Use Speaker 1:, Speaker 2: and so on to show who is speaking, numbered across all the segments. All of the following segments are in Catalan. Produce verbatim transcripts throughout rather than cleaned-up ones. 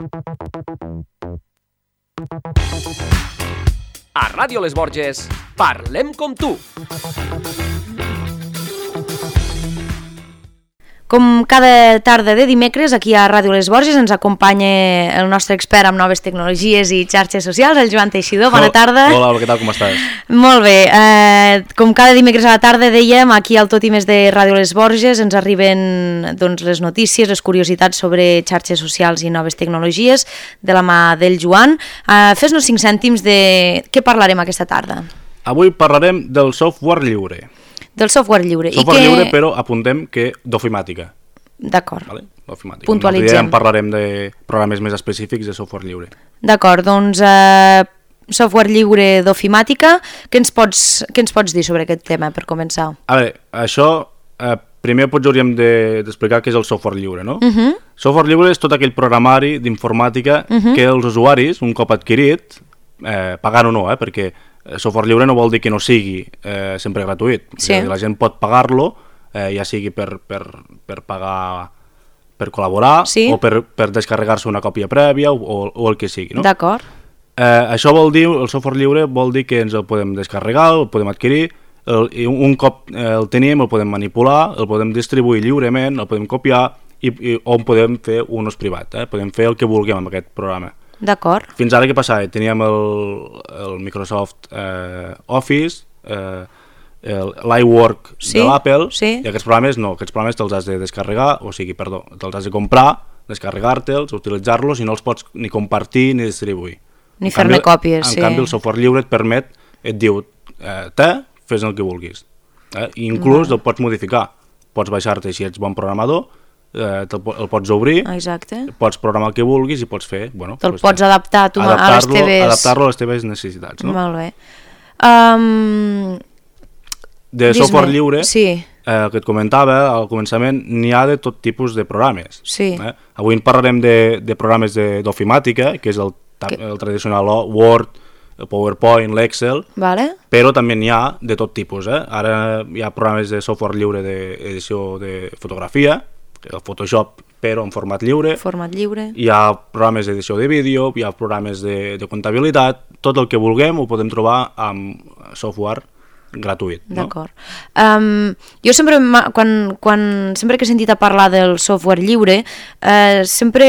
Speaker 1: A Ràdio Les Borges, parlem com tu.
Speaker 2: Com cada tarda de dimecres, aquí a Ràdio Les Borges ens acompanya el nostre expert en noves tecnologies i xarxes socials, el Joan Teixidor. Bona tarda.
Speaker 3: Hola, què tal, com estàs?
Speaker 2: Molt bé. Eh, com cada dimecres a la tarda dèiem, aquí al Tot i Més de Ràdio Les Borges ens arriben doncs, les notícies, les curiositats sobre xarxes socials i noves tecnologies de la mà del Joan. Eh, Fes-nos cinc cèntims de què parlarem aquesta tarda.
Speaker 3: Avui parlarem del software lliure.
Speaker 2: Del software lliure.
Speaker 3: Software
Speaker 2: I que...
Speaker 3: lliure, però apuntem que d'ofimàtica.
Speaker 2: D'acord.
Speaker 3: Vale? D'ofimàtica.
Speaker 2: Puntualitzem.
Speaker 3: En parlarem de programes més específics de software lliure.
Speaker 2: D'acord, doncs eh, software lliure d'ofimàtica, què ens pots, què ens pots dir sobre aquest tema per començar?
Speaker 3: A veure, això eh, primer potser hauríem d'explicar de, què és el software lliure, no? Uh -huh. Software lliure és tot aquell programari d'informàtica uh -huh. que els usuaris, un cop adquirit, eh, pagant o no, eh, perquè software lliure no vol dir que no sigui eh, sempre gratuït.
Speaker 2: Sí.
Speaker 3: La gent pot pagar-lo, eh, ja sigui per, per, per pagar, per col·laborar, sí. o per, per descarregar-se una còpia prèvia, o, o el que sigui. No?
Speaker 2: D'acord.
Speaker 3: Eh, això vol dir, el software lliure vol dir que ens el podem descarregar, el podem adquirir, el, i un cop eh, el tenim, el podem manipular, el podem distribuir lliurement, el podem copiar, i, i on podem fer un ús privat. Eh? Podem fer el que vulguem amb aquest programa.
Speaker 2: D'acord.
Speaker 3: Fins ara què passava? Teníem el, el Microsoft eh, Office, eh, l'iWork
Speaker 2: sí,
Speaker 3: de l'Apple,
Speaker 2: sí.
Speaker 3: i aquests programes no, aquests programes te'ls has de descarregar, o sigui, perdó, te'ls has de comprar, descarregar-te'ls, utilitzar-los i no els pots ni compartir ni distribuir.
Speaker 2: Ni fer-ne còpies,
Speaker 3: en
Speaker 2: sí.
Speaker 3: En canvi, el software lliure et permet, et diu, eh, te, fes el que vulguis. Eh? I inclús no. el pots modificar. Pots baixar-te, si ets bon programador, Eh, el pots obrir,
Speaker 2: exacte.
Speaker 3: Pots programar el que vulguis i pots fer... Bueno,
Speaker 2: te'l
Speaker 3: pues,
Speaker 2: pots adaptar a, tu, a les teves...
Speaker 3: Adaptar-lo a les teves necessitats, no?
Speaker 2: Molt bé. Um,
Speaker 3: de software lliure,
Speaker 2: sí.
Speaker 3: eh, el que et comentava al començament, n'hi ha de tot tipus de programes.
Speaker 2: Sí.
Speaker 3: Eh? Avui en parlarem de, de programes d'ofimàtica, que és el, que... el tradicional Word, el PowerPoint, l'Excel,
Speaker 2: vale.
Speaker 3: Però també n'hi ha de tot tipus. Eh? Ara hi ha programes de software lliure d'edició de fotografia, el Photoshop, però en format lliure.
Speaker 2: Format lliure.
Speaker 3: Hi ha programes d'edició de vídeo, hi ha programes de, de comptabilitat, tot el que vulguem ho podem trobar amb software gratuït. No?
Speaker 2: D'acord. Um, jo sempre, quan, quan, sempre que he sentit a parlar del software lliure, eh, sempre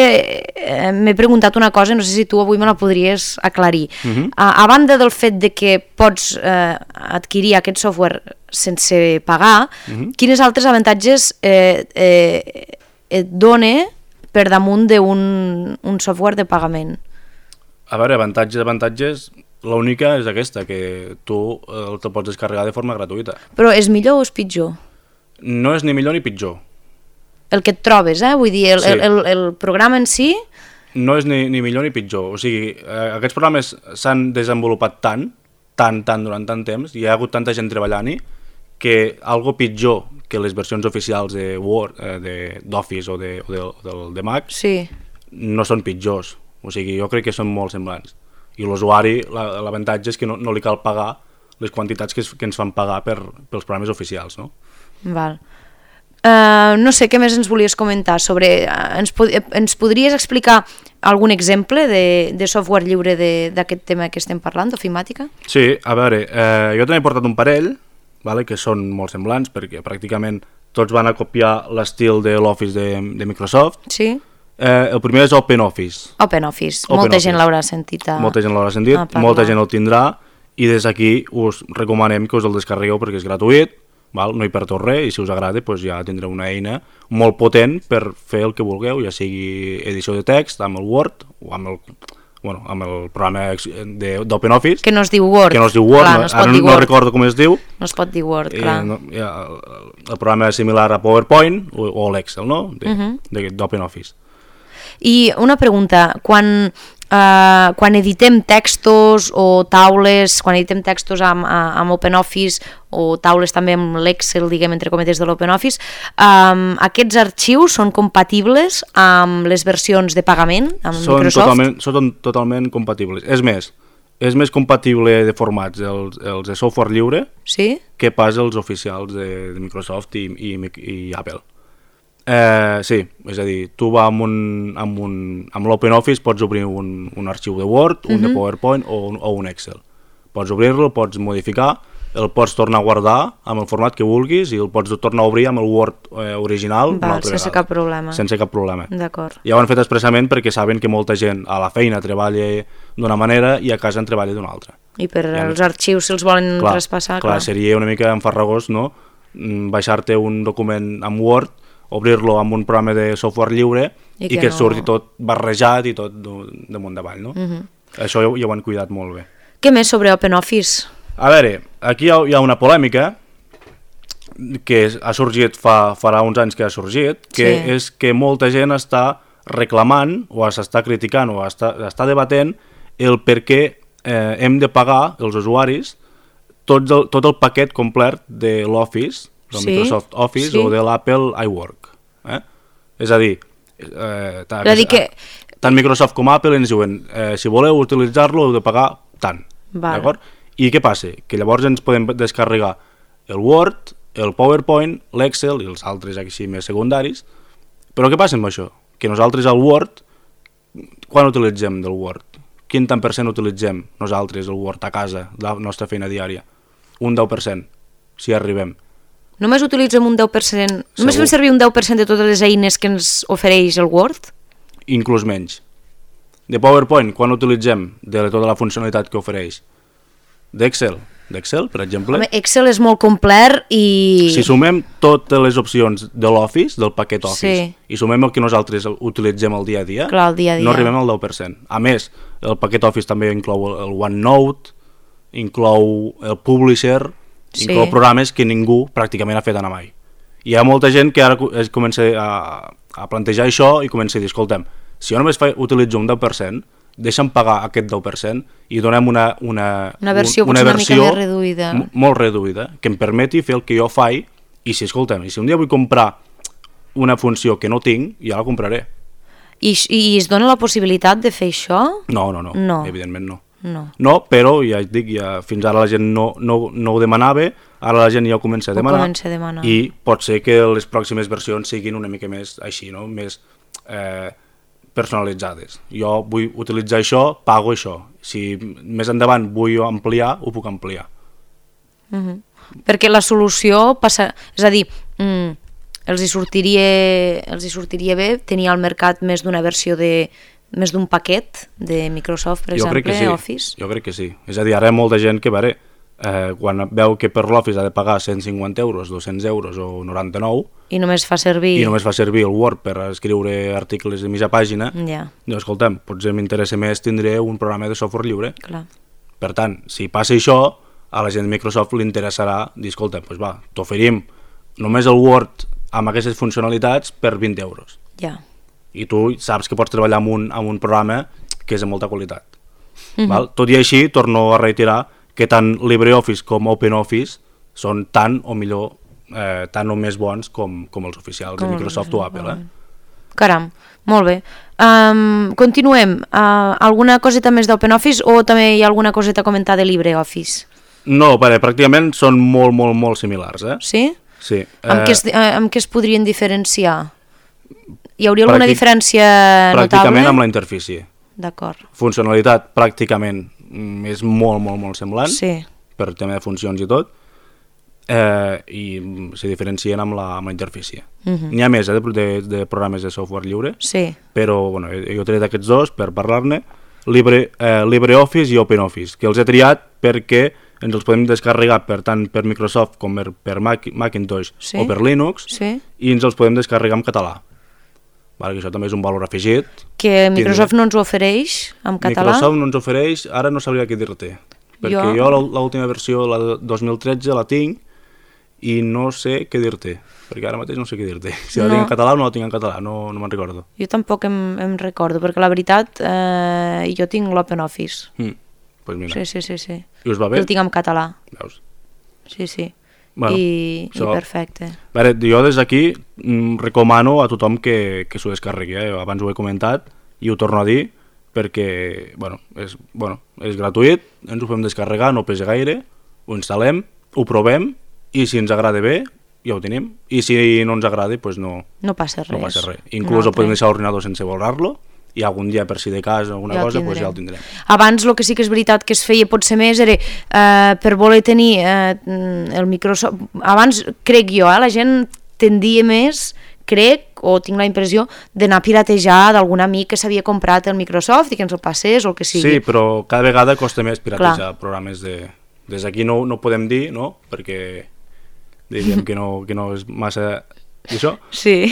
Speaker 2: eh, m'he preguntat una cosa, no sé si tu avui me la podries aclarir. Uh-huh. a, a banda del fet de que pots eh, adquirir aquest software sense pagar, uh-huh. quines altres avantatges eh, eh, et dona per damunt d'un un software de pagament?
Speaker 3: A veure, avantatges, avantatges... L'única és aquesta, que tu el te pots descarregar de forma gratuïta.
Speaker 2: Però és millor o és pitjor?
Speaker 3: No és ni millor ni pitjor.
Speaker 2: El que et trobes, eh? Vull dir, el, sí. el, el, el programa en si...
Speaker 3: No és ni, ni millor ni pitjor. O sigui, eh, aquests programes s'han desenvolupat tant, tant, tant, durant tant temps, i hi ha hagut tanta gent treballant-hi, que algo pitjor que les versions oficials de Word, eh, d'Office o, de, o, de, o del de Mac,
Speaker 2: sí.
Speaker 3: no són pitjors. O sigui, jo crec que són molt semblants. I l'usuari, l'avantatge és que no, no li cal pagar les quantitats que, es, que ens fan pagar per, pels programes oficials, no?
Speaker 2: Val. Uh, no sé, què més ens volies comentar sobre... Uh, ens, pod ens podries explicar algun exemple de, de software lliure d'aquest tema que estem parlant, d'ofimàtica?
Speaker 3: Sí, a veure, eh, jo també he portat un parell, vale, que són molt semblants, perquè pràcticament tots van a copiar l'estil de l'Office de, de Microsoft.
Speaker 2: Sí.
Speaker 3: Eh, el primer és OpenOffice.
Speaker 2: OpenOffice,
Speaker 3: Open
Speaker 2: molta
Speaker 3: Office.
Speaker 2: gent l'haurà sentit a
Speaker 3: Molta gent l'haurà sentit, molta gent el tindrà, i des d'aquí us recomanem que us el descarregueu perquè és gratuït, val? No hi perdeu res, i si us agrada doncs ja tindreu una eina molt potent per fer el que vulgueu, ja sigui edició de text amb el Word o amb el, bueno, amb el programa d'OpenOffice.
Speaker 2: Que no es diu Word.
Speaker 3: Que no es diu Word,
Speaker 2: clar,
Speaker 3: no,
Speaker 2: no,
Speaker 3: ara no, no recordo com es diu.
Speaker 2: No es pot dir Word, clar.
Speaker 3: No, ja, el programa és similar a PowerPoint o, o l'Excel, no? d'OpenOffice. Uh -huh.
Speaker 2: I una pregunta, quan, eh, quan editem textos o taules, quan editem textos amb, amb OpenOffice o taules també amb l'Excel, diguem, entre cometes de l'OpenOffice, eh, aquests arxius són compatibles amb les versions de pagament, amb
Speaker 3: són
Speaker 2: Microsoft?
Speaker 3: Totalment, són totalment compatibles. És més, és més compatible de formats els, els de software lliure,
Speaker 2: sí?
Speaker 3: que pas els oficials de, de Microsoft i, i, i Apple. Eh, sí, és a dir, tu va amb, un, amb, un, amb l'OpenOffice pots obrir un, un arxiu de Word, un uh-huh. de PowerPoint o un, o un Excel. Pots obrir-lo, el pots modificar, el pots tornar a guardar amb el format que vulguis i el pots tornar a obrir amb el Word eh, original
Speaker 2: Val, una altra sense vegada. Cap problema.
Speaker 3: Sense cap problema.
Speaker 2: D'acord.
Speaker 3: Ja ho han fet expressament perquè saben que molta gent a la feina treballa d'una manera i a casa en treballa d'una altra.
Speaker 2: I per ja els no... arxius, si els volen clar, traspassar...
Speaker 3: Clar, clar, seria una mica enfarragós, no?, baixar-te un document amb Word, obrir-lo amb un programa de software lliure i, i que, que no... surti tot barrejat i tot damunt davall, no? Uh-huh. Això ja, ja ho han cuidat molt bé.
Speaker 2: Què més sobre OpenOffice?
Speaker 3: A veure, aquí hi ha, hi ha una polèmica que ha sorgit fa, farà uns anys que ha sorgit, que sí. és que molta gent està reclamant o s'està criticant o està, està debatent el per què eh, hem de pagar, els usuaris, tot el, tot el paquet complet de l'Office, del sí, Microsoft Office sí. o de l'Apple iWork. Eh? És a dir, eh, tant,
Speaker 2: dir que...
Speaker 3: tant Microsoft com Apple ens diuen eh, si voleu utilitzar-lo heu de pagar tant. D'acord? I què passa? Que llavors ens podem descarregar el Word, el PowerPoint, l'Excel i els altres així més secundaris. Però què passa amb això? Que nosaltres el Word, quan utilitzem del Word? Quin tant per cent utilitzem nosaltres el Word a casa, la nostra feina diària? Un deu per cent, si arribem.
Speaker 2: Només utilitzem un deu per cent? Segur. Només fem servir un deu per cent de totes les eines que ens ofereix el Word?
Speaker 3: Inclús menys. De PowerPoint, quan utilitzem de tota la funcionalitat que ofereix? D'Excel? D'Excel, per exemple?
Speaker 2: Home, Excel és molt complet i...
Speaker 3: Si sumem totes les opcions de l'Office, del paquet Office, sí. i sumem el que nosaltres utilitzem el dia a dia,
Speaker 2: Clar, el dia, a dia.
Speaker 3: no arribem al deu per cent. A més, el paquet Office també inclou el OneNote, inclou el Publisher, sí. inclou programes que ningú pràcticament ha fet anar mai. Hi ha molta gent que ara es comença a, a plantejar això i comença a dir, escolta'm, si jo només fa, utilitzo un deu per cent, deixa'm pagar aquest deu per cent i donem una, una,
Speaker 2: una versió,
Speaker 3: una
Speaker 2: una
Speaker 3: versió
Speaker 2: mica més reduïda.
Speaker 3: molt reduïda, que em permeti fer el que jo faig i si, escolta'm, si un dia vull comprar una funció que no tinc, ja la compraré.
Speaker 2: I, i es dona la possibilitat de fer això?
Speaker 3: No, no, no,
Speaker 2: no.
Speaker 3: evidentment no.
Speaker 2: No.
Speaker 3: no, però ja et dic, ja, fins ara la gent no, no, no ho demanava, ara la gent ja ho comença a demanar,
Speaker 2: comença a demanar
Speaker 3: i pot ser que les pròximes versions siguin una mica més així, no? Més eh, personalitzades. Jo vull utilitzar això, pago això. Si més endavant vull ampliar, ho puc ampliar.
Speaker 2: Uh-huh. Perquè la solució passa... És a dir, mm, els, hi sortiria, els hi sortiria bé tenir al mercat més d'una versió de... més d'un paquet de Microsoft, per
Speaker 3: jo
Speaker 2: exemple,
Speaker 3: sí.
Speaker 2: Office?
Speaker 3: Jo crec que sí. És a dir, ara hi ha molta gent que, veure, eh, quan veu que per l'Office ha de pagar cent cinquanta euros, dos-cents euros o noranta-nou,
Speaker 2: i només fa servir...
Speaker 3: i només fa servir el Word per escriure articles de mitja pàgina,
Speaker 2: ja.
Speaker 3: doncs, escolta'm, potser m'interessa més tindré un programa de software lliure.
Speaker 2: Clar.
Speaker 3: Per tant, si passa això, a la gent de Microsoft li interessarà dir, escolta'm, doncs va, t'oferim només el Word amb aquestes funcionalitats per vint euros.
Speaker 2: Ja.
Speaker 3: I tu saps que pots treballar amb un, amb un programa que és de molta qualitat. Uh-huh. Val? Tot i així, torno a reiterar que tant LibreOffice com OpenOffice són tan o millor, eh, tan o més bons com, com els oficials com de Microsoft o Apple. Eh?
Speaker 2: Caram, molt bé. Um, continuem. Uh, alguna coseta més d'OpenOffice o també hi ha alguna coseta a comentar de LibreOffice?
Speaker 3: No, perquè pràcticament són molt, molt, molt similars. Eh?
Speaker 2: Sí?
Speaker 3: Sí.
Speaker 2: Amb, eh... què es, eh, amb què es podrien diferenciar? Hi hauria alguna Pràctic... diferència notable?
Speaker 3: Pràcticament amb la interfície.
Speaker 2: D'acord.
Speaker 3: Funcionalitat pràcticament és molt, molt, molt semblant,
Speaker 2: sí.
Speaker 3: per tema de funcions i tot, eh, i se diferencien amb la, amb la interfície. Uh-huh. N'hi ha més eh, de, de programes de software lliure,
Speaker 2: sí.
Speaker 3: però bueno, jo he tret aquests dos per parlar-ne, Libre, eh, LibreOffice i OpenOffice, que els he triat perquè ens els podem descarregar per tant per Microsoft com per, per Mac, Macintosh sí. o per Linux,
Speaker 2: sí.
Speaker 3: i ens els podem descarregar en català. Vale, que això també és un valor afegit.
Speaker 2: Que Microsoft no ens ho ofereix en català?
Speaker 3: Microsoft no ens ofereix, ara no sabria què dir-te. Perquè jo, jo l'última versió, la de dos mil tretze, la tinc i no sé què dir-te. Perquè ara mateix no sé què dir-te. Si no. la tinc en català o no la tinc en català, no, no me'n recordo.
Speaker 2: Jo tampoc em, em recordo, perquè la veritat eh, jo tinc l'OpenOffice.
Speaker 3: Mm, pues mira.
Speaker 2: Sí, sí, sí, sí.
Speaker 3: I us va bé?
Speaker 2: El tinc en català.
Speaker 3: Veus?
Speaker 2: Sí, sí.
Speaker 3: Bueno,
Speaker 2: I,
Speaker 3: so,
Speaker 2: i perfecte.
Speaker 3: Veure, jo des d'aquí mm, recomano a tothom que, que s'ho descarregui, eh? Abans ho he comentat i ho torno a dir perquè bueno, és, bueno, és gratuït, ens ho podem descarregar, no pesa gaire, ho instal·lem, ho provem i si ens agrada bé ja ho tenim, i si no ens agrada, doncs no,
Speaker 2: no passa res.
Speaker 3: No passa res. Inclús el podem deixar a l'ordinador sense borrar-lo, i algun dia, per si de cas o alguna
Speaker 2: ja
Speaker 3: cosa, doncs ja el tindrem.
Speaker 2: Abans el que sí que és veritat que es feia potser més era eh, per voler tenir eh, el Microsoft... Abans, crec jo, eh, la gent tendia més, crec, o tinc la impressió, d'anar a piratejar d'algun amic que s'havia comprat el Microsoft i que ens el passés o el que sigui.
Speaker 3: Sí, però cada vegada costa més piratejar Clar. programes de... Des d'aquí no, no ho podem dir, no?, perquè diguem que no, que no és massa això,
Speaker 2: sí.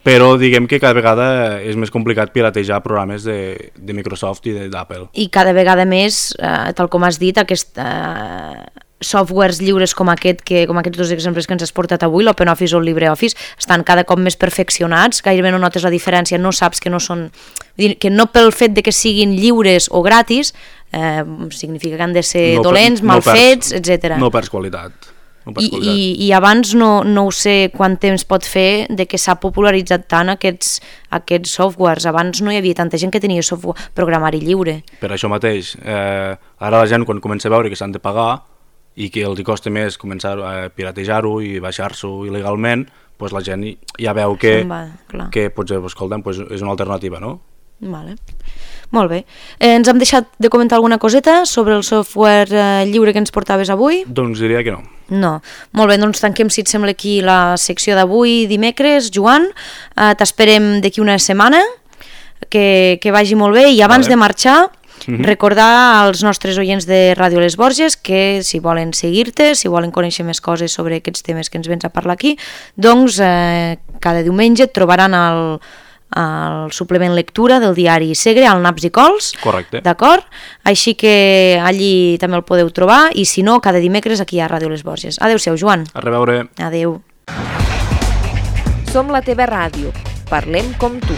Speaker 3: Però diguem que cada vegada és més complicat piratejar programes de, de Microsoft i d'Apple.
Speaker 2: I cada vegada més, eh, tal com has dit, aquest... Eh, softwares lliures com aquest, que, com aquests dos exemples que ens has portat avui, l'OpenOffice o el LibreOffice, estan cada cop més perfeccionats, gairebé no notes la diferència, no saps que no són... que no pel fet de que siguin lliures o gratis, eh, significa que han de ser no, dolents, no mal perds, fets, etcètera.
Speaker 3: No perds qualitat. No perds
Speaker 2: I,
Speaker 3: qualitat.
Speaker 2: i, I abans no, no ho sé quant temps pot fer de que s'ha popularitzat tant aquests, aquests softwares. Abans no hi havia tanta gent que tenia software, programari lliure.
Speaker 3: Per això mateix, eh, ara la gent quan comença a veure que s'han de pagar i que els costa més començar a piratejar-ho i baixar-s'ho il·legalment, doncs la gent ja veu que,
Speaker 2: va,
Speaker 3: que potser, escolta'm, doncs és una alternativa, no?
Speaker 2: Vale. Molt bé. Eh, ens hem deixat de comentar alguna coseta sobre el software eh, lliure que ens portaves avui?
Speaker 3: Doncs diria que no.
Speaker 2: No. Molt bé, doncs tanquem, si et sembla, aquí la secció d'avui, dimecres. Joan, eh, t'esperem d'aquí una setmana, que, que vagi molt bé, i abans vale. de marxar... Mm-hmm. Recordar als nostres oients de Ràdio Les Borges que si volen seguir-te, si volen conèixer més coses sobre aquests temes que ens vens a parlar aquí, doncs eh, cada diumenge et trobaran el, el suplement lectura del diari Segre, al Naps i Cols.
Speaker 3: Correcte.
Speaker 2: D'acord? Així que allí també el podeu trobar, i si no, cada dimecres aquí a Ràdio Les Borges. Adéu-siau, Joan.
Speaker 3: A reveure.
Speaker 2: Adéu.
Speaker 1: Som la teva ràdio. Parlem com tu.